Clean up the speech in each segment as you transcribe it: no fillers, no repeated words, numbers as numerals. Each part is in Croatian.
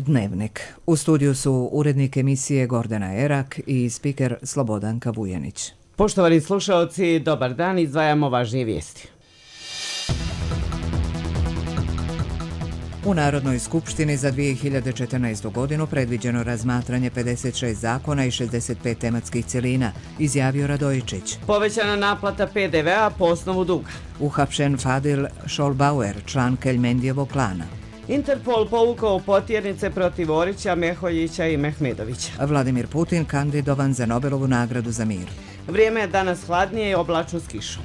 Dnevnik. U studiju su urednik emisije Gordana Erak i spiker Slobodanka Vujanić. Poštovani slušalci, dobar dan, izdvajamo važnije vijesti. U Narodnoj skupštini za 2014. godinu predviđeno razmatranje 56 zakona i 65 tematskih cjelina, izjavio Radojičić. Povećana naplata PDV-a po osnovu duga. Uhapšen Fadil Šolbauer, član Keljmendijevog klana. Interpol povukao potjernice protiv Orića, Meholjića i Mehmedovića. Vladimir Putin kandidovan za Nobelovu nagradu za mir. Vrijeme je danas hladnije i oblačno s kišom.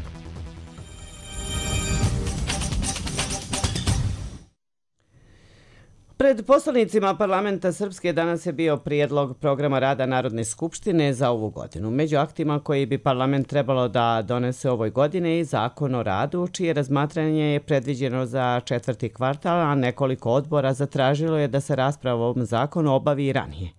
Pred poslanicima parlamenta Srpske danas je bio prijedlog programa rada Narodne skupštine za ovu godinu. Među aktima koji bi parlament trebalo da donese ovoj godini i zakon o radu, čije razmatranje je predviđeno za četvrti kvartal, a nekoliko odbora zatražilo je da se rasprava o ovom zakonu obavi i ranije.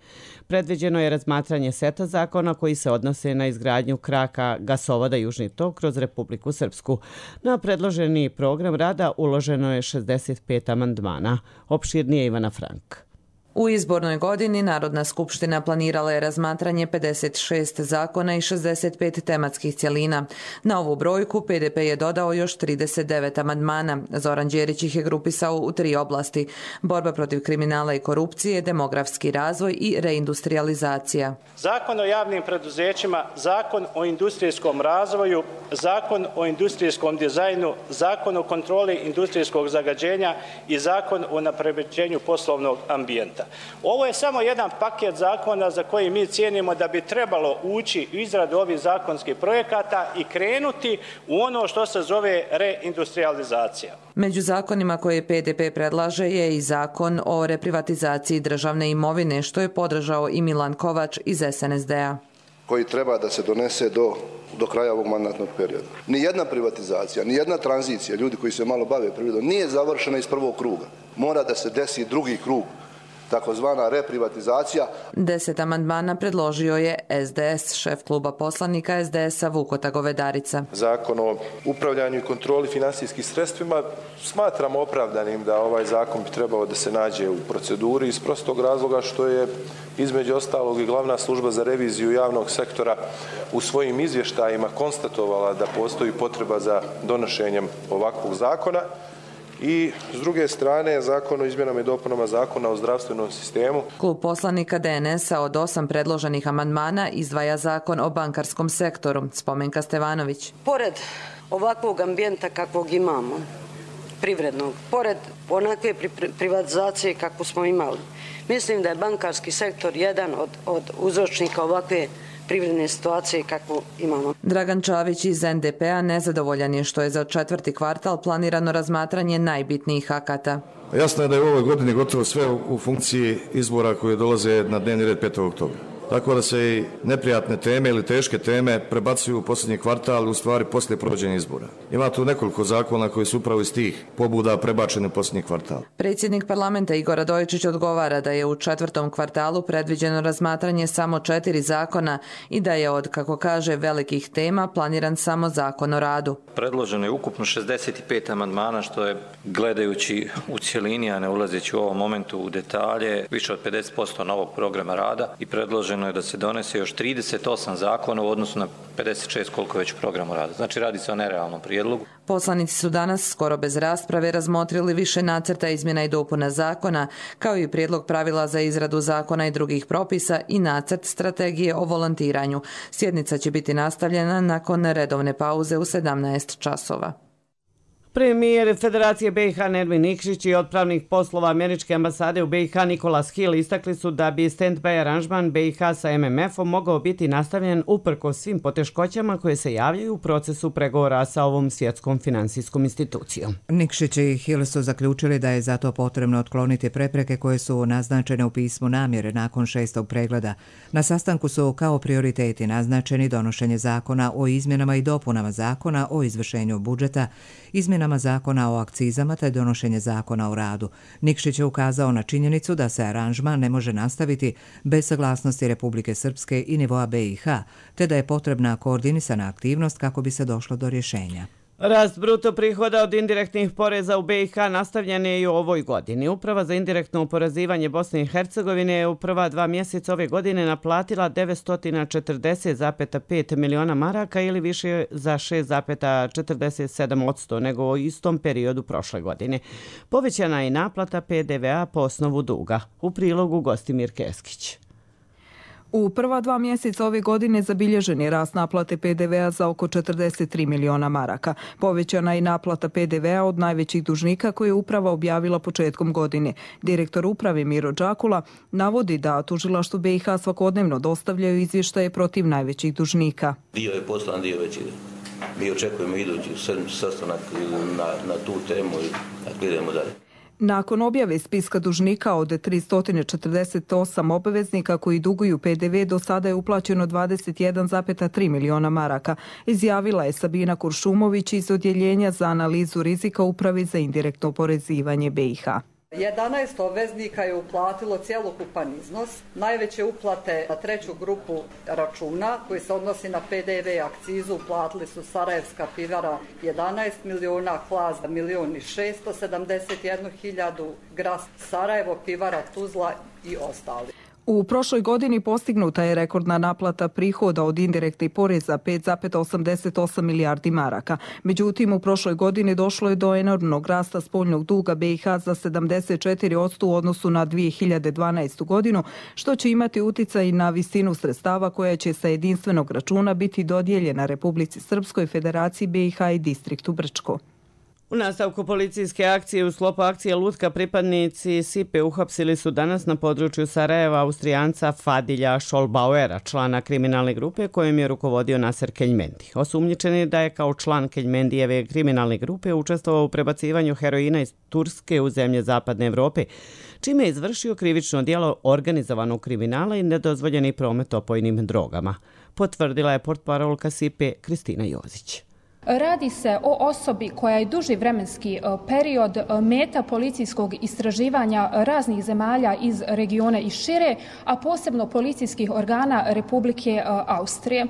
Predviđeno je razmatranje seta zakona koji se odnose na izgradnju kraka gasovoda Južni tok kroz Republiku Srpsku. Na predloženi program rada uloženo je 65 amandmana. Opširnije Ivana Frank. U izbornoj godini Narodna skupština planirala je razmatranje 56 zakona i 65 tematskih cjelina. Na ovu brojku PDP je dodao još 39 amandmana. Zoran Đerić ih je grupisao u 3 oblasti: borba protiv kriminala i korupcije, demografski razvoj i reindustrializacija. Zakon o javnim preduzećima, zakon o industrijskom razvoju, zakon o industrijskom dizajnu, zakon o kontroli industrijskog zagađenja i zakon o unapređenju poslovnog ambijenta. Ovo je samo jedan paket zakona za koji mi cijenimo da bi trebalo ući u izradu ovih zakonskih projekata i krenuti u ono što se zove reindustrializacija. Među zakonima koje PDP predlaže je i zakon o reprivatizaciji državne imovine, što je podržao i Milan Kovač iz SNSD-a. Koji treba da se donese do kraja ovog mandatnog perioda. Nijedna privatizacija, nijedna tranzicija, ljudi koji se malo bave privredom, nije završena iz prvog kruga. Mora da se desi drugi krug, takozvana reprivatizacija. 10 amandmana predložio je SDS, šef kluba poslanika SDS-a Vukota Govedarica. Zakon o upravljanju i kontroli finansijskim sredstvima smatramo opravdanim da ovaj zakon bi trebao da se nađe u proceduri iz prostog razloga što je između ostalog i glavna služba za reviziju javnog sektora u svojim izvještajima konstatovala da postoji potreba za donošenjem ovakvog zakona. I s druge strane, zakon o izmjenama i dopunama zakona o zdravstvenom sistemu. Klub poslanika DNS-a od 8 predloženih amandmana izdvaja zakon o bankarskom sektoru. Spomenka Stevanović. Pored ovakvog ambijenta kakvog imamo, privrednog, pored onakve privatizacije kakvu smo imali, mislim da je bankarski sektor jedan od uzročnika ovakve privredne situacije kakvu imamo. Dragan Čavić iz NDP-a nezadovoljan je što je za četvrti kvartal planirano razmatranje najbitnijih akata. Jasno je da je u ovoj godini gotovo sve u funkciji izbora koje dolaze na dnevni red 5. oktobra. Tako da se i neprijatne teme ili teške teme prebacuju u posljednji kvartal, u stvari poslije provođenja izbora. Ima tu nekoliko zakona koji su upravo iz tih pobuda prebačeni u posljednji kvartal. Predsjednik parlamenta Igor Radojičić odgovara da je u četvrtom kvartalu predviđeno razmatranje samo 4 zakona i da je od, kako kaže, velikih tema planiran samo zakon o radu. Predloženo je ukupno 65 amandmana, što je, gledajući u cjelini, a ne ulazeći u ovom momentu u detalje, više od 50% novog programa rada i predloženo je da se donese još 38 zakona u odnosu na 56 koliko je već program rada. Znači radi se o nerealnom prijedlogu. Poslanici su danas skoro bez rasprave razmotrili više nacrta izmjena i dopuna zakona, kao i prijedlog pravila za izradu zakona i drugih propisa i nacrt strategije o volontiranju. Sjednica će biti nastavljena nakon redovne pauze u 17 časova. Premijer Federacije BiH Nermin Nikšić i otpravnik poslova Američke ambasade u BiH Nicholas Hill istakli su da bi stand-by aranžman BiH sa MMF-om mogao biti nastavljen uprkos svim poteškoćama koje se javljaju u procesu pregovora sa ovom svjetskom finansijskom institucijom. Nikšić i Hill su zaključili da je zato potrebno otkloniti prepreke koje su naznačene u pismu namjere nakon 6. pregleda. Na sastanku su kao prioriteti naznačeni donošenje zakona o izmjenama i dopunama zakona o izvršenju budžeta, izmjenama zakona o akcizama te donošenje zakona o radu. Nikšić je ukazao na činjenicu da se aranžman ne može nastaviti bez saglasnosti Republike Srpske i nivoa BiH, te da je potrebna koordinisana aktivnost kako bi se došlo do rješenja. Rast bruto prihoda od indirektnih poreza u BiH nastavljen je i u ovoj godini. Uprava za indirektno oporezivanje Bosne i Hercegovine je u prva 2 mjeseca ove godine naplatila 940,5 miliona maraka ili više za 6,47% nego u istom periodu prošle godine. Povećana je naplata PDV-a po osnovu duga. U prilogu Gostimir Keskić. U prva 2 mjeseca ove godine zabilježen je rast naplate PDV-a za oko 43 miliona maraka. Povećana je naplata PDV-a od najvećih dužnika koje je uprava objavila početkom godine. Direktor uprave Miro Đakula navodi da tužilaštvu BiH svakodnevno dostavljaju izvještaje protiv najvećih dužnika. Dio je poslan, dio već ide. Mi očekujemo idući sastanak na tu temu i idemo dalje. Nakon objave spiska dužnika od 348 obveznika koji duguju PDV, do sada je uplaćeno 21,3 miliona maraka, izjavila je Sabina Kuršumović iz Odjeljenja za analizu rizika Upravi za indirektno oporezivanje BiH. 11 obveznika je uplatilo cjelokupan iznos. Najveće uplate na treću grupu računa koji se odnosi na PDV i akcizu uplatili su Sarajevska pivara 11 miliona, Hlaz 1.671.000, Gras Sarajevo, pivara Tuzla i ostali. U prošloj godini postignuta je rekordna naplata prihoda od indirektnih poreza 5,88 milijardi maraka. Međutim, u prošloj godini došlo je do enormnog rasta spoljnog duga BiH za 74% u odnosu na 2012. godinu, što će imati uticaj na visinu sredstava koja će sa jedinstvenog računa biti dodijeljena Republici Srpskoj, Federaciji BiH i distriktu Brčko. U nastavku policijske akcije u sklopu akcije Lutka pripadnici SIPE uhapsili su danas na području Sarajeva Austrijanca Fadilja Šolbauera, člana kriminalne grupe kojim je rukovodio Naser Keljmendi. Osumnjičen je da je kao član Keljmendijeve kriminalne grupe učestvovao u prebacivanju heroina iz Turske u zemlje Zapadne Evrope, čime je izvršio krivično djelo organizovanog kriminala i nedozvoljeni promet opojnim drogama, potvrdila je portparolka SIPE Kristina Jozić. Radi se o osobi koja je duži vremenski period meta policijskog istraživanja raznih zemalja iz regiona i šire, a posebno policijskih organa Republike Austrije.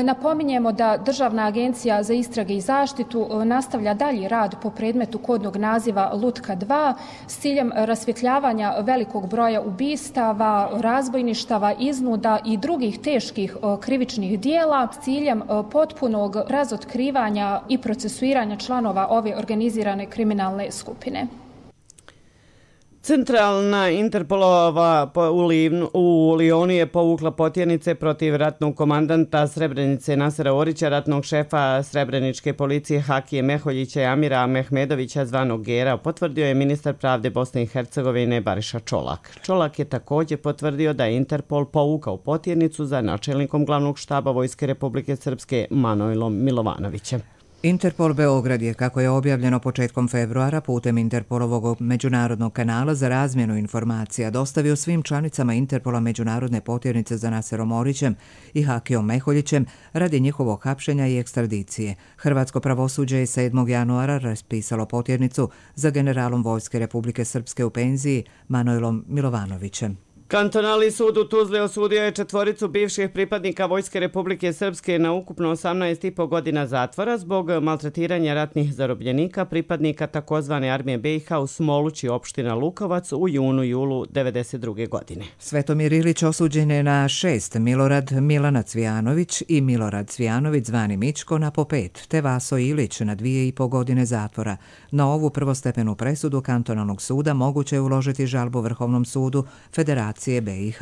Napominjemo da Državna agencija za istrage i zaštitu nastavlja dalji rad po predmetu kodnog naziva Lutka 2 s ciljem rasvjetljavanja velikog broja ubistava, razbojništava, iznuda i drugih teških krivičnih dijela s ciljem potpunog razotkrivanja i procesuiranja članova ove organizirane kriminalne skupine. Centralna Interpolova u Lijonu je povukla potjernice protiv ratnog komandanta Srebrenice Nasera Orića, ratnog šefa Srebreničke policije Hakije Meholjića i Amira Mehmedovića zvanog Gera, potvrdio je ministar pravde Bosne i Hercegovine Bariša Čolak. Čolak je također potvrdio da je Interpol povukao potjernicu za načelnikom glavnog štaba Vojske Republike Srpske Manojlom Milovanovićem. Interpol Beograd je, kako je objavljeno početkom februara, putem Interpolovog međunarodnog kanala za razmjenu informacija dostavio svim članicama Interpola međunarodne potjernice za Naserom Orićem i Hakijom Meholjićem radi njihovog hapšenja i ekstradicije. Hrvatsko pravosuđe je 7. januara raspisalo potjernicu za generalom Vojske Republike Srpske u penziji Manojlom Milovanovićem. Kantonalni sud u Tuzli osudio je 4 bivših pripadnika Vojske Republike Srpske na ukupno 18,5 godina zatvora zbog maltretiranja ratnih zarobljenika pripadnika takozvane armije BiH u Smolući, opština Lukovac, u junu-julu 1992. godine. Svetomir Ilić osuđen je na 6, Milorad Milana Cvijanović i Milorad Cvijanović zvani Mičko na po 5, te Vaso Ilić na 2,5 godine zatvora. Na ovu prvostepenu presudu kantonalnog suda moguće je uložiti žalbu Vrhovnom sudu Federacije BiH.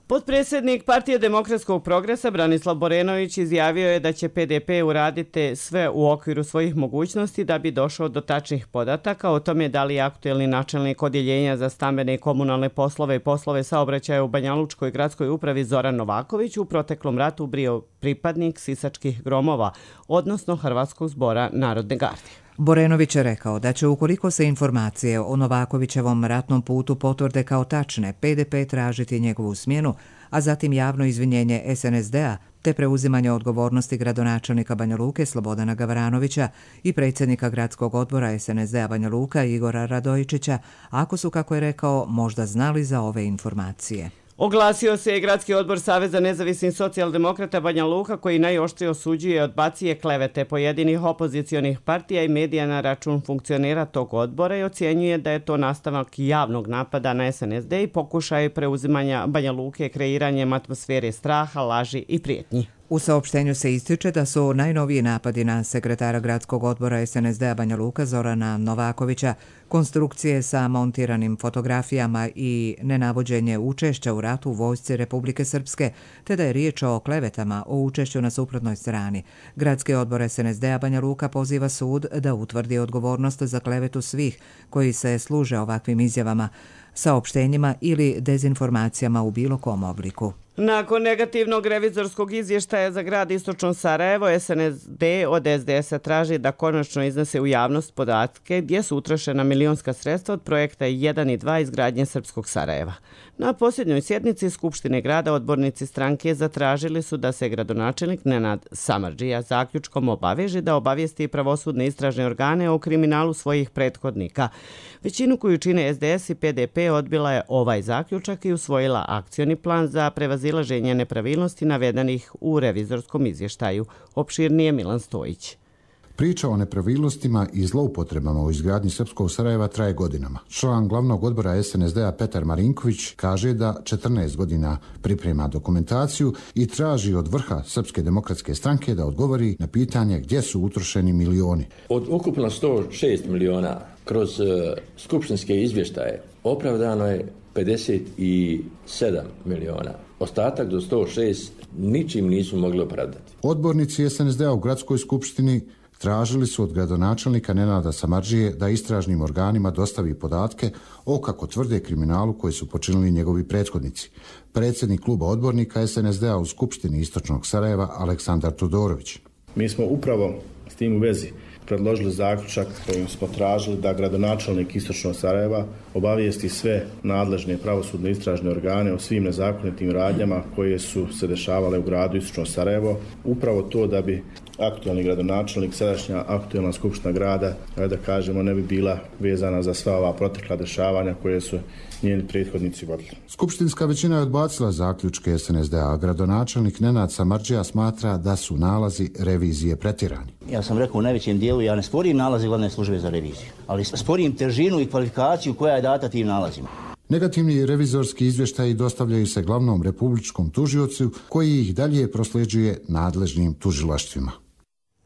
Potpredsjednik Partije demokratskog progresa Branislav Borenović izjavio je da će PDP uraditi sve u okviru svojih mogućnosti da bi došao do tačnih podataka o tome da li je aktuelni načelnik odjeljenja za stambene i komunalne poslove i poslove saobraćaja u Banjalučkoj gradskoj upravi Zoran Novaković u proteklom ratu bio pripadnik Sisačkih gromova, odnosno Hrvatskog zbora Narodne garde. Borenović je rekao da će, ukoliko se informacije o Novakovićevom ratnom putu potvrde kao tačne, PDP tražiti njegovu smjenu, a zatim javno izvinjenje SNSD-a te preuzimanje odgovornosti gradonačelnika Banja Luke Slobodana Gavranovića i predsjednika gradskog odbora SNSD-a Banja Luka Igora Radojičića, ako su, kako je rekao, možda znali za ove informacije. Oglasio se i Gradski odbor Saveza nezavisnih socijaldemokrata Banja Luka koji najoštrije osuđuje i odbacuje klevete pojedinih opozicionih partija i medija na račun funkcionera tog odbora i ocjenjuje da je to nastavak javnog napada na SNSD i pokušaj preuzimanja Banja Luke kreiranjem atmosfere straha, laži i prijetnji. U saopštenju se ističe da su najnoviji napadi na sekretara gradskog odbora SNSD-a Banja Luka Zorana Novakovića, konstrukcije sa montiranim fotografijama i nenavođenje učešća u ratu u vojsci Republike Srpske, te da je riječ o klevetama o učešću na suprotnoj strani. Gradski odbor SNSD-a Banja Luka poziva sud da utvrdi odgovornost za klevetu svih koji se služe ovakvim izjavama, saopštenjima ili dezinformacijama u bilo kom obliku. Nakon negativnog revizorskog izvještaja za grad Istočno Sarajevo, SNSD od SDS-a traži da konačno iznese u javnost podatke gdje su utrošena milionska sredstva od projekta 1 i 2 izgradnje Srpskog Sarajeva. Na posljednjoj sjednici Skupštine grada odbornici stranke zatražili su da se gradonačelnik Nenad Samardžija zaključkom obaveže da obavijesti pravosudne istražne organe o kriminalu svojih prethodnika. Većinu koju čine SDS i PDP odbila je ovaj zaključak i usvojila akcioni plan za prevazilaženje nepravilnosti navedenih u revizorskom izvještaju. Opširnije Milan Stojić. Priča o nepravilnostima i zloupotrebama u izgradnji Srpskog Sarajeva traje godinama. Član glavnog odbora SNSD-a Petar Marinković kaže da 14 godina priprema dokumentaciju i traži od vrha Srpske demokratske stranke da odgovori na pitanje gdje su utrošeni milioni. Od ukupno 106 miliona kroz skupštinske izvještaje opravdano je 57 miliona. Ostatak do 106 ničim nisu mogli opravdati. Odbornici SNSD-a u gradskoj skupštini tražili su od gradonačelnika Nenada Samardžije da istražnim organima dostavi podatke o, kako tvrde, kriminalu koji su počinili njegovi prethodnici. Predsjednik kluba odbornika SNSD-a u Skupštini Istočnog Sarajeva Aleksandar Todorović. Mi smo upravo s tim u vezi predložili zaključak kojim smo tražili da gradonačelnik Istočnog Sarajeva obavijesti sve nadležne pravosudne istražne organe o svim nezakonitim radnjama koje su se dešavale u gradu Istočno Sarajevo. Upravo to da bi aktualni gradonačelnik, sadašnja aktualna skupština grada, da kažemo, ne bi bila vezana za sva ova protekla dešavanja koje su njeni prethodnici vodili. Skupštinska većina je odbacila zaključke SNSD-a, a gradonačelnik Nenad Samardžija smatra da su nalazi revizije pretjerani. Ja sam rekao u najvećem dijelu, ja ne sporim nalaze glavne službe za reviziju, ali sporim težinu i kvalifikaciju koja je data tim nalazima. Negativni revizorski izvještaji dostavljaju se glavnom republičkom tužiocu koji ih dalje prosljeđuje nadležnim tužilaštvima.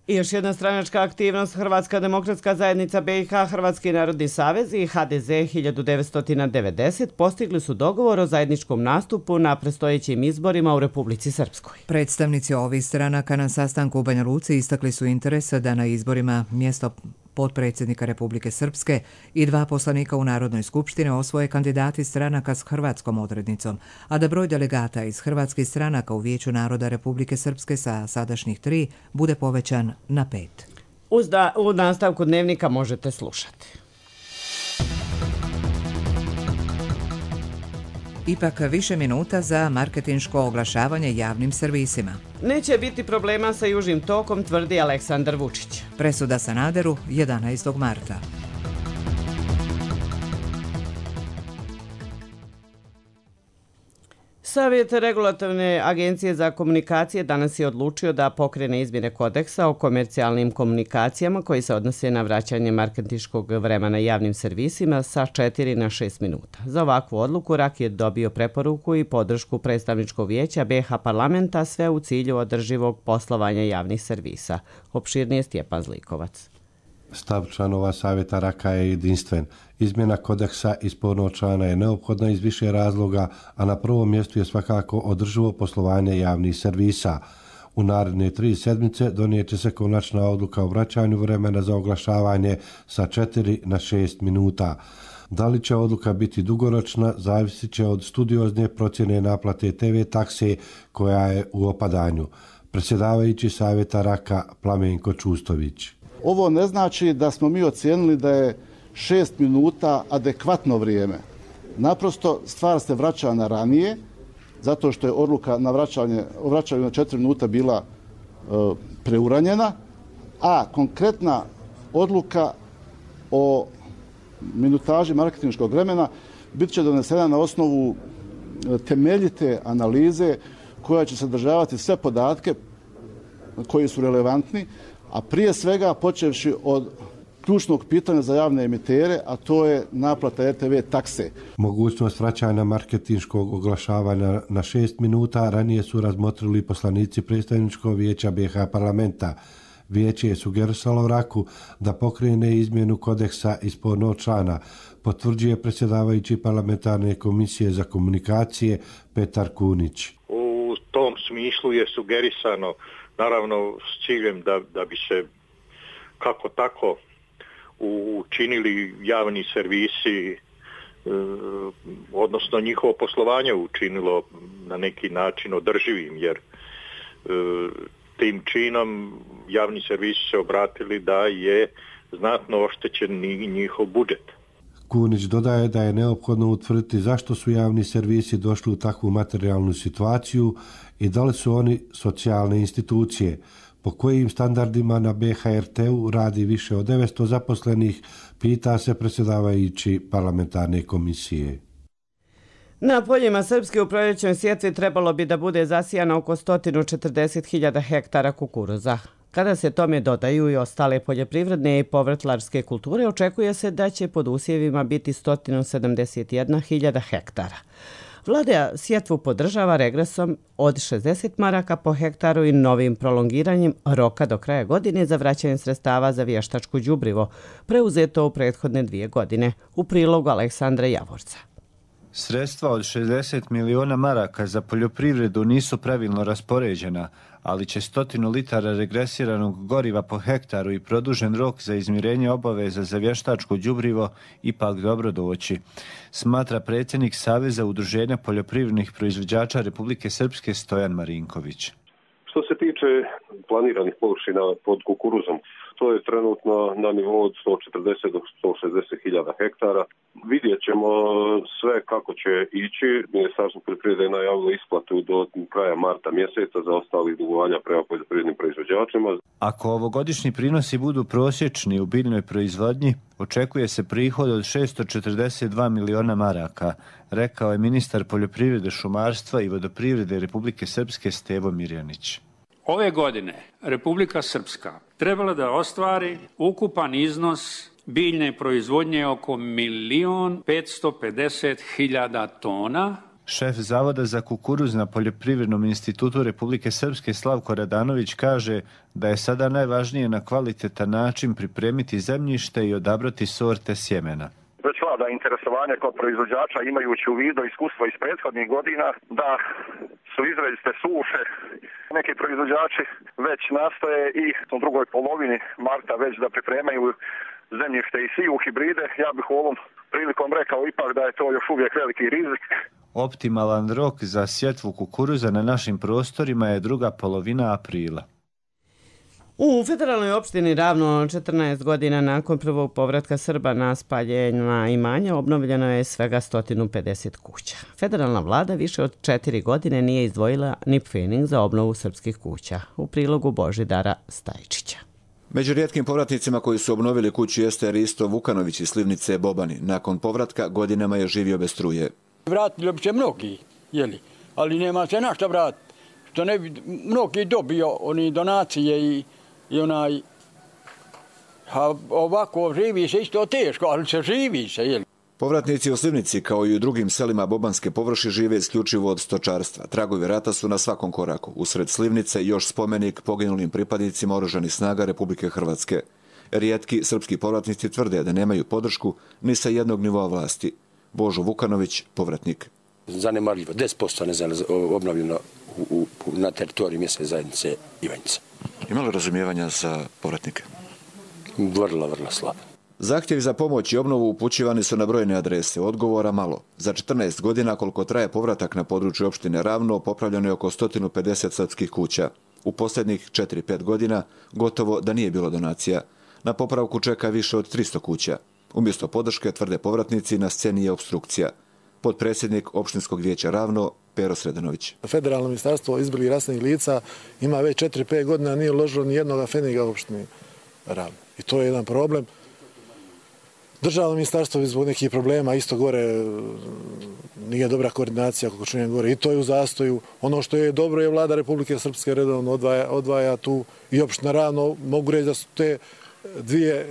I još jedna stranačka aktivnost, Hrvatska demokratska zajednica BiH, Hrvatski narodni savez i HDZ 1990 postigli su dogovor o zajedničkom nastupu na predstojećim izborima u Republici Srpskoj. Predstavnici ovih stranaka na sastanku u Banja Luci istakli su interes da na izborima mjesto potpredsjednika Republike Srpske i 2 poslanika u Narodnoj skupštini osvoje kandidati stranaka s hrvatskom odrednicom, a da broj delegata iz hrvatskih stranaka u Vijeću naroda Republike Srpske sa sadašnjih 3 bude povećan na 5. U nastavku dnevnika možete slušati. Ipak više minuta za marketinško oglašavanje javnim servisima. Neće biti problema sa Južnim tokom, tvrdi Aleksandar Vučić. Presuda Sanaderu 11. marta. Savjet regulatorne agencije za komunikacije danas je odlučio da pokrene izmjene kodeksa o komercijalnim komunikacijama koji se odnose na vraćanje marketinškog vremena javnim servisima sa 4 na 6 minuta. Za ovakvu odluku RAK je dobio preporuku i podršku predstavničkog vijeća BiH parlamenta, sve u cilju održivog poslovanja javnih servisa. Opširnije Stjepan Zlikovac. Stav članova savjeta RAK-a je jedinstven. Izmjena kodeksa iz spornog člana je neophodna iz više razloga, a na prvom mjestu je svakako održivo poslovanje javnih servisa. U naredne 3 sedmice donijet će se konačna odluka o vraćanju vremena za oglašavanje sa 4 na 6 minuta. Da li će odluka biti dugoročna, zavisit će od studiozne procjene naplate TV takse koja je u opadanju. Predsjedavajući savjeta RAK-a Plamenko Čustović. Ovo ne znači da smo mi ocijenili da je 6 minuta adekvatno vrijeme. Naprosto stvar se vraća na ranije, zato što je odluka na vraćanju na 4 minuta bila preuranjena, a konkretna odluka o minutaži marketinškog vremena bit će donesena na osnovu temeljite analize koja će sadržavati sve podatke koji su relevantni, a prije svega počevši od ključnog pitanja za javne emitere, a to je naplata RTV takse. Mogućnost vraćanja marketinškog oglašavanja na 6 minuta ranije su razmotrili poslanici predstavničkog vijeća BiH parlamenta. Vijeće je sugerisalo Raku da pokrene izmjenu kodeksa ispod novčana, potvrđuje predsjedavajući parlamentarne komisije za komunikacije Petar Kunić. U tom smislu je sugerisano, naravno s ciljem da bi se kako tako učinili javni servisi, odnosno njihovo poslovanje učinilo na neki način održivim, jer tim činom javni servisi se obratili da je znatno oštećen njihov budžet. Kunić dodaje da je neophodno utvrditi zašto su javni servisi došli u takvu materijalnu situaciju i da li su oni socijalne institucije, po kojim standardima na BHRT-u radi više od 900 zaposlenih, pita se predsjedavajući parlamentarne komisije. Na poljima Srpske u proljećnoj sjetvi trebalo bi da bude zasijano oko 140.000 hektara kukuruza. Kada se tome dodaju i ostale poljoprivredne i povrtlarske kulture, očekuje se da će pod usjevima biti 171.000 hektara. Vlada sjetvu podržava regresom od 60 maraka po hektaru i novim prolongiranjem roka do kraja godine za vraćanje sredstava za vještačko đubrivo, preuzeto u prethodne 2 godine, u prilogu Aleksandra Javorca. Sredstva od 60 miliona maraka za poljoprivredu nisu pravilno raspoređena, ali će 100 litara regresiranog goriva po hektaru i produžen rok za izmirenje obaveza za vještačko đubrivo ipak dobro doći, smatra predsjednik Saveza udruženja poljoprivrednih proizvođača Republike Srpske Stojan Marinković. Što se tiče planiranih površina pod kukuruzom, to je trenutno na nivou od 140 do 160.000 hektara. Vidjet ćemo sve kako će ići. Ministarstvo poljoprivrede je najavilo isplatu do kraja marta mjeseca za ostalih dugovanja prema poljoprivrednim proizvođačima. Ako ovogodišnji prinosi budu prosječni u biljnoj proizvodnji, očekuje se prihod od 642 miliona maraka, rekao je ministar poljoprivrede, šumarstva i vodoprivrede Republike Srpske Stevo Mirjanić. Ove godine Republika Srpska trebala da ostvari ukupan iznos biljne proizvodnje oko 1.550.000 tona. Šef Zavoda za kukuruz na Poljoprivrednom institutu Republike Srpske Slavko Radanović kaže da je sada najvažnije na kvalitetan način pripremiti zemljište i odabrati sorte sjemena. Već vlada interesovanje kod proizvođača imajući u vidu iskustva iz prethodnih godina da su izrazite suše. Neki proizvođači već nastoje i u drugoj polovini marta već da pripremaju zemljište i siju hibride. Ja bih u ovom prilikom rekao ipak da je to još uvijek veliki rizik. Optimalan rok za sjetvu kukuruza na našim prostorima je druga polovina aprila. U federalnoj opštini Ravno 14 godina nakon prvog povratka Srba na spaljena imanja obnovljeno je svega 150 kuća. Federalna vlada više od 4 godine nije izdvojila ni pfening za obnovu srpskih kuća. U prilogu Božidara Stajčića. Među rijetkim povratnicima koji su obnovili kuću jeste Risto Vukanović iz Slivnice Bobani. Nakon povratka godinama je živio bez struje. Vratili bi se mnogi, ali nema se na šta vratiti. Što ne bi mnogi dobio oni donacije i onaj, a ovako živi se isto teško, ali se živi se. Povratnici u Slivnici, kao i u drugim selima Bobanske površi, žive isključivo od stočarstva. Tragovi rata su na svakom koraku. Usred Slivnice još spomenik poginulim pripadnicima oružanih snaga Republike Hrvatske. Rijetki srpski povratnici tvrde da nemaju podršku ni sa jednog nivoa vlasti. Božo Vukanović, povratnik. Zanemarljivo, 10% obnovljeno na teritoriji mjesne zajednice Ivanjica. Ima li razumijevanja za povratnike? Vrlo slabo. Zahtjevi za pomoć i obnovu upućivani su na brojne adrese, odgovora malo. Za 14 godina koliko traje povratak na području opštine Ravno, popravljeno je oko 150 srpskih kuća. U posljednjih 4-5 godina gotovo da nije bilo donacija. Na popravku čeka više od 300 kuća. Umjesto podrške, tvrde povratnici, na sceni je opstrukcija. Potpredsjednik opštinskog vijeća Ravno, Pero Sredanović. Federalno ministarstvo izbili rasnih lica ima već 4-5 godina, nije uložilo ni jednog feniga u opštini Ravno. I to je jedan problem Državno ministarstvo zbog nekih problema isto gore nije dobra koordinacija, kako čujem gore, i to je u zastoju. Ono što je dobro je vlada Republike Srpske redovno odvaja tu i opština Ravno. Mogu reći da su te dvije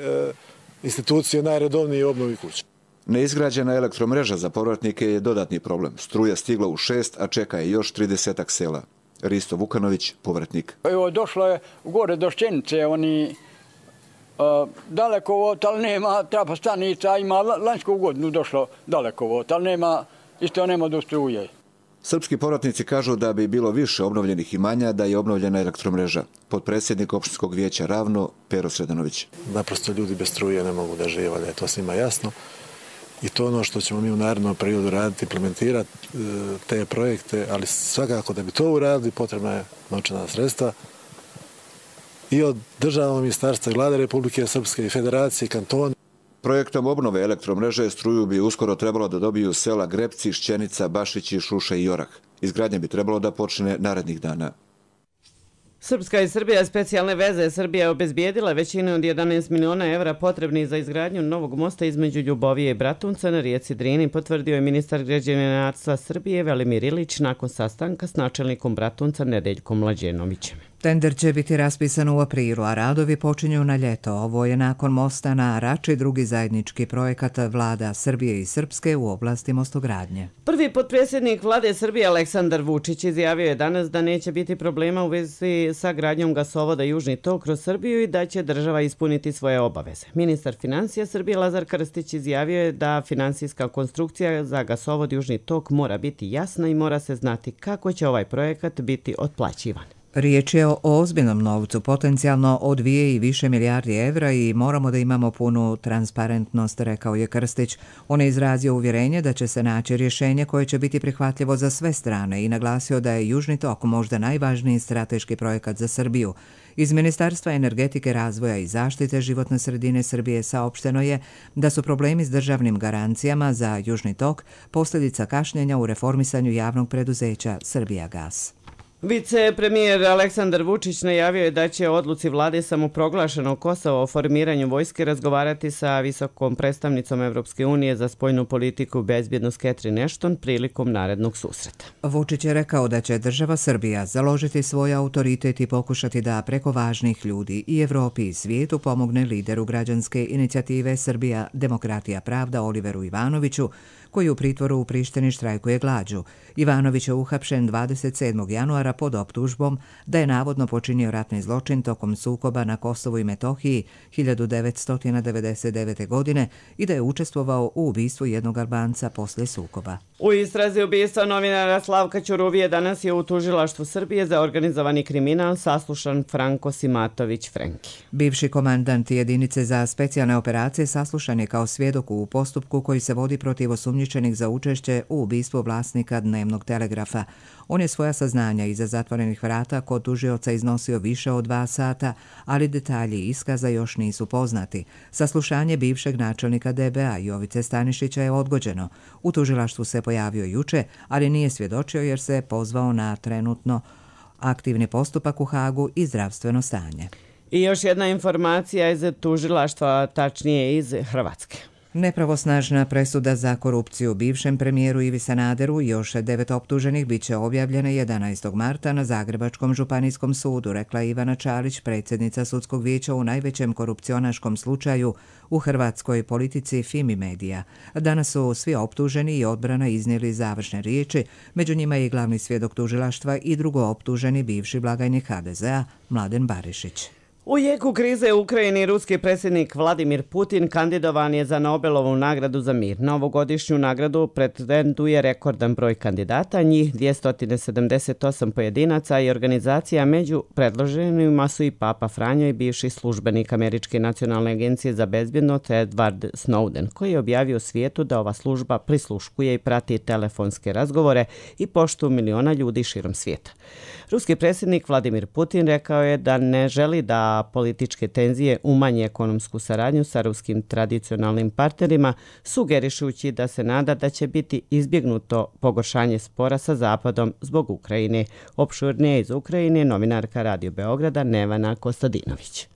institucije najredovnije u obnovi kuća. Neizgrađena elektromreža za povratnike je dodatni problem. Struja stigla u 6, a čeka je još 30 sela. Risto Vukanović, povratnik. Evo, došlo je gore do Šćenice, dalekovod, ali nema trafostanica, ima lanjsku godinu došlo dalekovod, ali nema do struje. Srpski povratnici kažu da bi bilo više obnovljenih imanja da je obnovljena elektromreža. Potpredsjednik opštinskog vijeća Ravno, Pero Sredanović. Naprosto ljudi bez struje ne mogu da žive, da je to svima jasno. I to ono što ćemo mi u narednom periodu raditi, implementirati te projekte, ali svakako da bi to uradili potrebna je novčana sredstva i od državnog ministarstva i vlade Republike Srpske i federacije, kantona. Projektom obnove elektromreže struju bi uskoro trebalo da dobiju sela Grepci, Šćenica, Bašići, Šuša i Jorah. Izgradnja bi trebalo da počne narednih dana. Srpska i Srbija specijalne veze. Srbija je obezbijedila većinu od 11 miliona evra potrebnih za izgradnju novog mosta između Ljubovije i Bratunca na rijeci Drini, potvrdio je ministar građevinarstva Srbije Velimir Ilić nakon sastanka s načelnikom Bratunca Nedeljkom Mlađenovićem. Tender će biti raspisan u aprilu, a radovi počinju na ljeto. Ovo je nakon mosta na Rači drugi zajednički projekat vlada Srbije i Srpske u oblasti mostogradnje. Prvi potpredsjednik vlade Srbije Aleksandar Vučić izjavio je danas da neće biti problema u vezi sa gradnjom gasovoda Južni tok kroz Srbiju i da će država ispuniti svoje obaveze. Ministar financija Srbije Lazar Krstić izjavio je da finansijska konstrukcija za gasovod Južni tok mora biti jasna i mora se znati kako će ovaj projekat biti otplaćivan. Riječ je o ozbiljnom novcu, potencijalno od 2 i više milijardi evra i moramo da imamo punu transparentnost, rekao je Krstić. On je izrazio uvjerenje da će se naći rješenje koje će biti prihvatljivo za sve strane i naglasio da je Južni tok možda najvažniji strateški projekat za Srbiju. Iz Ministarstva energetike, razvoja i zaštite životne sredine Srbije saopšteno je da su problemi s državnim garancijama za Južni tok posljedica kašnjenja u reformisanju javnog preduzeća Srbijagas. Vicepremijer Aleksandar Vučić najavio je da će o odluci vlade samoproglašenog Kosova o formiranju vojske razgovarati sa visokom predstavnicom Evropske unije za spoljnu politiku i bezbjednost Catherine Ashton prilikom narednog susreta. Vučić je rekao da će država Srbija založiti svoj autoritet i pokušati da preko važnih ljudi i Evropi i svijetu pomogne lideru građanske inicijative Srbija, demokratija, pravda Oliveru Ivanoviću, koji u pritvoru u Prištini štrajkuje glađu. Ivanović je uhapšen 27. januara pod optužbom da je navodno počinio ratni zločin tokom sukoba na Kosovu i Metohiji 1999. godine i da je učestvovao u ubistvu jednog Albanca poslije sukoba. U istrazi ubistva novinara Slavka Ćuruvije danas je u tužilaštvu Srbije za organizovani kriminal saslušan Franko Simatović Frenki. Bivši komandant jedinice za specijalne operacije saslušan je kao svjedok u postupku koji se vodi protiv osumnjičenih za učešće u ubistvu vlasnika Dnevnog telegrafa. On je svoja saznanja iza zatvorenih vrata kod tužioca iznosio više od 2 sata, ali detalji iskaza još nisu poznati. Saslušanje bivšeg načelnika DBA Jovice Stanišića je odgođeno. U tužilaštvu se pojavio juče, ali nije svjedočio jer se pozvao na trenutno aktivni postupak u Hagu i zdravstveno stanje. I još jedna informacija iz tužilaštva, tačnije iz Hrvatske. Nepravosnažna presuda za korupciju bivšem premijeru Ivi Sanaderu i još 9 optuženih bit će objavljene 11. marta na Zagrebačkom županijskom sudu, rekla Ivana Čalić, predsjednica sudskog vijeća u najvećem korupcionaškom slučaju u hrvatskoj politici Fimi Medija. Danas su svi optuženi i odbrana iznijeli završne riječi, među njima je i glavni svjedok tužilaštva i drugo optuženi bivši blagajnik HDZ-a Mladen Barišić. U jeku krize u Ukrajini ruski predsjednik Vladimir Putin kandidovan je za Nobelovu nagradu za mir. Na ovogodišnju nagradu pretenduje rekordan broj kandidata, njih 278 pojedinaca i organizacija. Među predloženima su i Papa Franjo i bivši službenik Američke nacionalne agencije za bezbjednost Edward Snowden, koji je objavio svijetu da ova služba prisluškuje i prati telefonske razgovore i poštu miliona ljudi širom svijeta. Ruski predsjednik Vladimir Putin rekao je da ne želi da političke tenzije umanje ekonomsku saradnju sa ruskim tradicionalnim partnerima, sugerišući da se nada da će biti izbjegnuto pogoršanje spora sa Zapadom zbog Ukrajine. Opširnije iz Ukrajine novinarka Radio Beograda Nevana Kostadinović.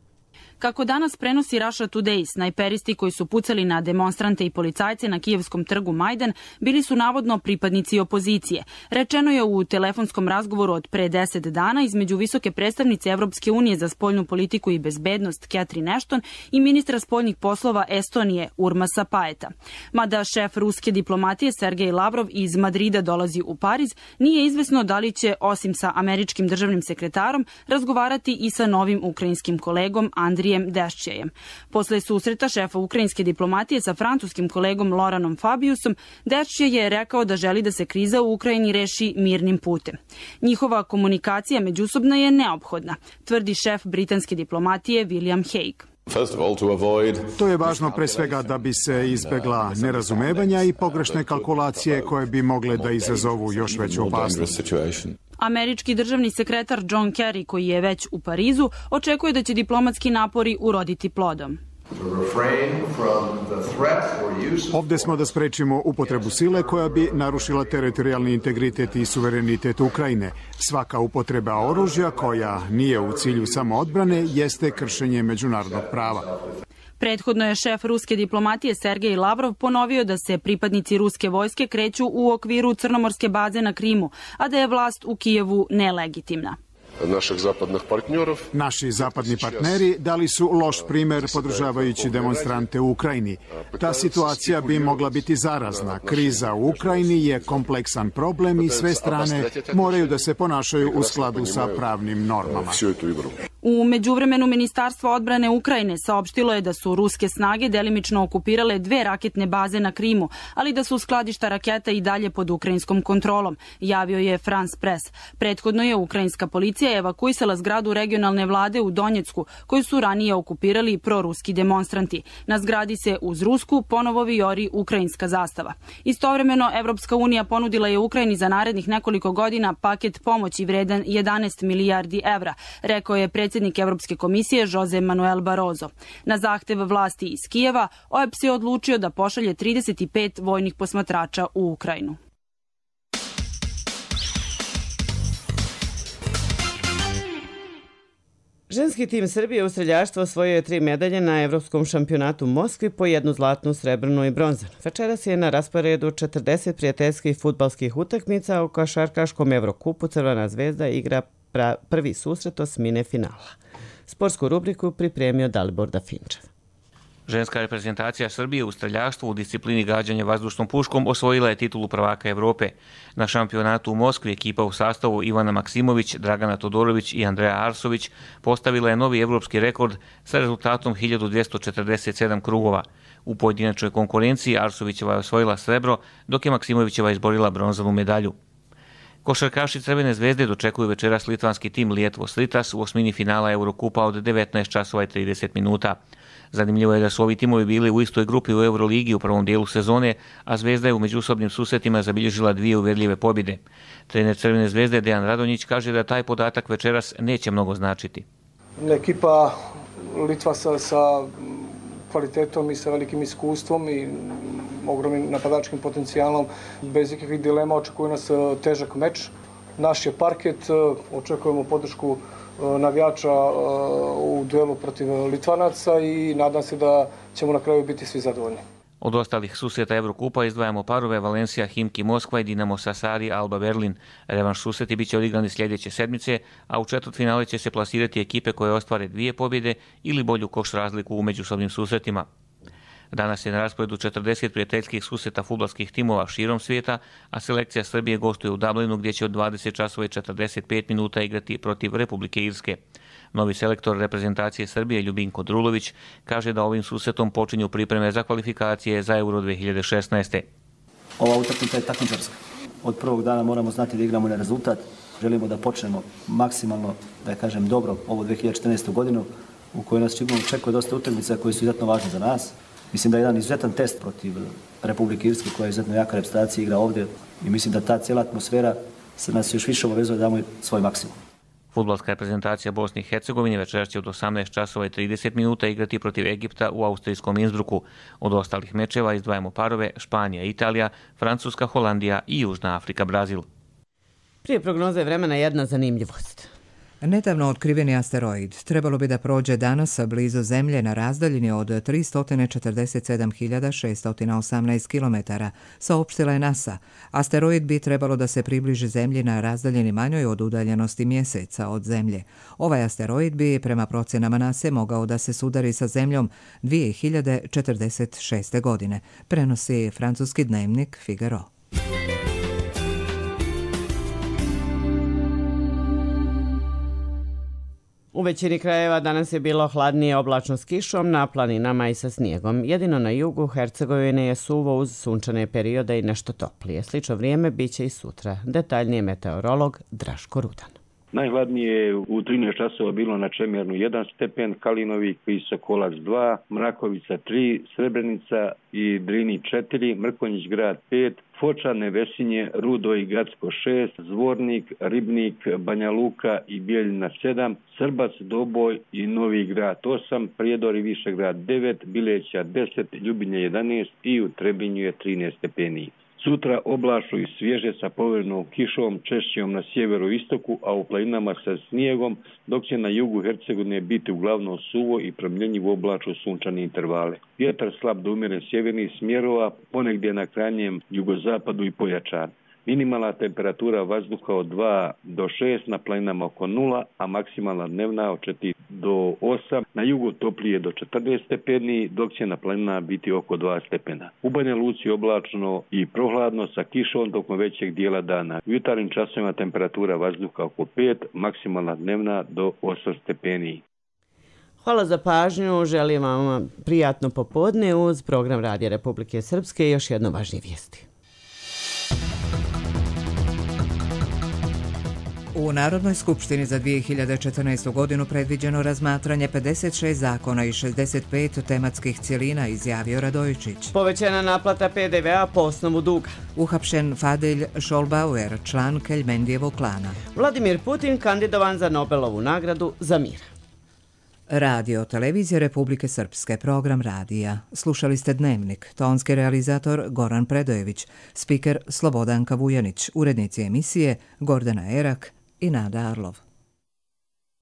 Kako danas prenosi Russia Today, snajperisti koji su pucali na demonstrante i policajce na kijevskom trgu Majdan bili su navodno pripadnici opozicije. Rečeno je u telefonskom razgovoru od pre 10 dana između visoke predstavnice Evropske unije za spoljnu politiku i bezbednost Catherine Ashton i ministra spoljnih poslova Estonije Urmasa Paeta. Mada šef ruske diplomatije Sergej Lavrov iz Madrida dolazi u Pariz, nije izvesno da li će, osim sa američkim državnim sekretarom, razgovarati i sa novim ukrajinskim kolegom Andrijem Dešćejem. Posle susreta šefa ukrajinske diplomatije sa francuskim kolegom Loranom Fabiusom, Dešćej je rekao da želi da se kriza u Ukrajini reši mirnim putem. Njihova komunikacija međusobna je neophodna, tvrdi šef britanske diplomatije William Hague. To je važno pre svega da bi se izbegla nerazumevanja i pogrešne kalkulacije koje bi mogle da izazovu još veću opasnost. Američki državni sekretar John Kerry, koji je već u Parizu, očekuje da će diplomatski napori uroditi plodom. Ovde smo da sprečimo upotrebu sile koja bi narušila teritorijalni integritet i suverenitet Ukrajine. Svaka upotreba oružja koja nije u cilju samoodbrane jeste kršenje međunarodnog prava. Prethodno je šef ruske diplomatije Sergej Lavrov ponovio da se pripadnici ruske vojske kreću u okviru crnomorske baze na Krimu, a da je vlast u Kijevu nelegitimna. Naši zapadni partneri dali su loš primer podržavajući demonstrante u Ukrajini. Ta situacija bi mogla biti zarazna. Kriza u Ukrajini je kompleksan problem i sve strane moraju da se ponašaju u skladu sa pravnim normama. U međuvremenu Ministarstvo odbrane Ukrajine saopštilo je da su ruske snage delimično okupirale 2 raketne baze na Krimu, ali da su skladišta raketa i dalje pod ukrajinskom kontrolom, javio je France Press. Prethodno je ukrajinska policija evakuisala zgradu regionalne vlade u Donjecku, koju su ranije okupirali proruski demonstranti. Na zgradi se uz rusku ponovo vijori ukrajinska zastava. Istovremeno, Evropska unija ponudila je Ukrajini za narednih nekoliko godina paket pomoći vredan 11 milijardi evra, rekao je predsjednik Evropske komisije Jose Manuel Barroso. Na zahtev vlasti iz Kijeva, OEBS je odlučio da pošalje 35 vojnih posmatrača u Ukrajinu. Ženski tim Srbije u streljaštvu osvojio je 3 medalje na Evropskom šampionatu u Moskvi, po 1 zlatnu, srebrnu i bronzanu. Večeras je na rasporedu 40 prijateljskih fudbalskih utakmica. U košarkaškom Evrokupu Crvena zvezda igra prvi susret osmine finala. Sportsku rubriku pripremio Dalibor Dafinčev. Ženska reprezentacija Srbije u streljaštvu u disciplini gađanja vazdušnom puškom osvojila je titulu prvaka Evrope. Na šampionatu u Moskvi ekipa u sastavu Ivana Maksimović, Dragana Todorović i Andreja Arsović postavila je novi evropski rekord sa rezultatom 1247 krugova. U pojedinačnoj konkurenciji Arsovićeva je osvojila srebro, dok je Maksimovićeva izborila bronzanu medalju. Košarkaši Crvene zvezde dočekuju večeras litvanski tim Lietuvos Rytas u osmini finala Eurokupa od 19 časova i 30 minuta. Zanimljivo je da su ovi timovi bili u istoj grupi u Euroligi u prvom dijelu sezone, a Zvezda je u međusobnim susretima zabilježila 2 uvjerljive pobjede. Trener Crvene zvezde Dejan Radonjić kaže da taj podatak večeras neće mnogo značiti. Ekipa Litva sa kvalitetom i sa velikim iskustvom i ogromnim napadačkim potencijalom, bez ikakvih dilema očekuje nas težak meč. Naš je parket, očekujemo podršku navijača u duelu protiv Litvanaca i nadam se da ćemo na kraju biti svi zadovoljni. Od ostalih susreta Evrokupa izdvajamo parove Valencija, Himki Moskva i Dinamo Sasari, Alba Berlin. Revanš susreti bit će odigrani sljedeće sedmice, a u četvrtfinale će se plasirati ekipe koje ostvare 2 pobjede ili bolju koš razliku u međusobnim susretima. Danas je na rasporedu 40 prijateljskih susreta fudbalskih timova širom svijeta, a selekcija Srbije gostuje u Dublinu gdje će od 20 časova i 45 minuta igrati protiv Republike Irske. Novi selektor reprezentacije Srbije Ljubinko Drulović kaže da ovim susretom počinju pripreme za kvalifikacije za Euro 2016. Ova utakmica je takmičarska. Od prvog dana moramo znati da igramo na rezultat. Želimo da počnemo maksimalno, da kažem dobro, ovu 2014. godinu u kojoj nas očekuje dosta utakmica koje su izuzetno važne za nas. Mislim da je jedan izuzetan test protiv Republike Irske koja je izuzetno jaka reprezentacija, igra ovdje i mislim da ta cijela atmosfera se nas još više obavezuje da damo svoj maksimum. Fudbalska reprezentacija Bosne i Hercegovine večeras će od 18 časova i 30 minuta igrati protiv Egipta u austrijskom Innsbrucku. Od ostalih mečeva izdvajamo parove Španija, Italija, Francuska, Holandija i Južna Afrika, Brazil. Prije prognoze vremena jedna zanimljivost. Nedavno otkriveni asteroid trebalo bi da prođe danas blizu Zemlje na razdaljini od 347.618 km, saopštila je NASA. Asteroid bi trebalo da se približi Zemlji na razdaljini manjoj od udaljenosti Mjeseca od Zemlje. Ovaj asteroid bi, prema procenama NASA, mogao da se sudari sa Zemljom 2046. godine, prenosi francuski dnevnik Figaro. U većini krajeva danas je bilo hladnije, oblačno s kišom, na planinama i sa snijegom. Jedino na jugu Hercegovine je suvo uz sunčane periode i nešto toplije. Slično vrijeme biće i sutra. Detaljnije meteorolog Draško Rudan. Najhladnije je u 13 časova bilo na Čemernu 1 stepen, Kalinovi i Sokolac 2, Mrakovica 3, Srebrenica i Drini 4, Mrkonjić grad 5, Foča, Nevesinje, Rudo i Gacko 6, Zvornik, Ribnik, Banja Luka i Bijeljina 7, Srbac, Doboj i Novi grad 8, Prijedor i Višegrad 9, Bileća 10, Ljubinje 11 i u Trebinju je 13 stepeni. Sutra oblačno i svježe sa površnom kišom, češćom na sjeveru i istoku, a u planinama sa snijegom, dok će na jugu Hercegovine biti uglavnom suvo i promjenjivo oblačno sunčane intervale. Vjetar slab do umjeren sjevernih smjerova, ponegdje na krajnjem jugozapadu i pojačan. Minimalna temperatura vazduha od 2 do 6, na planinama oko 0, a maksimalna dnevna od 4 do 8, na jugu toplije do 14 stepeni, dok će na planinama biti oko 2 stepena. U Banja Luci oblačno i prohladno sa kišom tokom većeg dijela dana. U jutarnjim časovima temperatura vazduha oko 5, maksimalna dnevna do 8 stepeni. Hvala za pažnju, želim vam prijatno popodne uz program Radija Republike Srpske i još jedno važnije vijesti. U Narodnoj skupštini za 2014. godinu predviđeno razmatranje 56 zakona i 65 tematskih cjelina, izjavio Radojičić. Povećana naplata PDV-a po osnovu duga. Uhapšen Fadil Scholbauer, član Keljmendijevog klana. Vladimir Putin kandidovan za Nobelovu nagradu za mir. Radio Televizije Republike Srpske, program radija. Slušali ste Dnevnik, tonski realizator Goran Predojević, spiker Slobodanka Vujanić, urednici emisije Gordana Erak i Nada Arlov.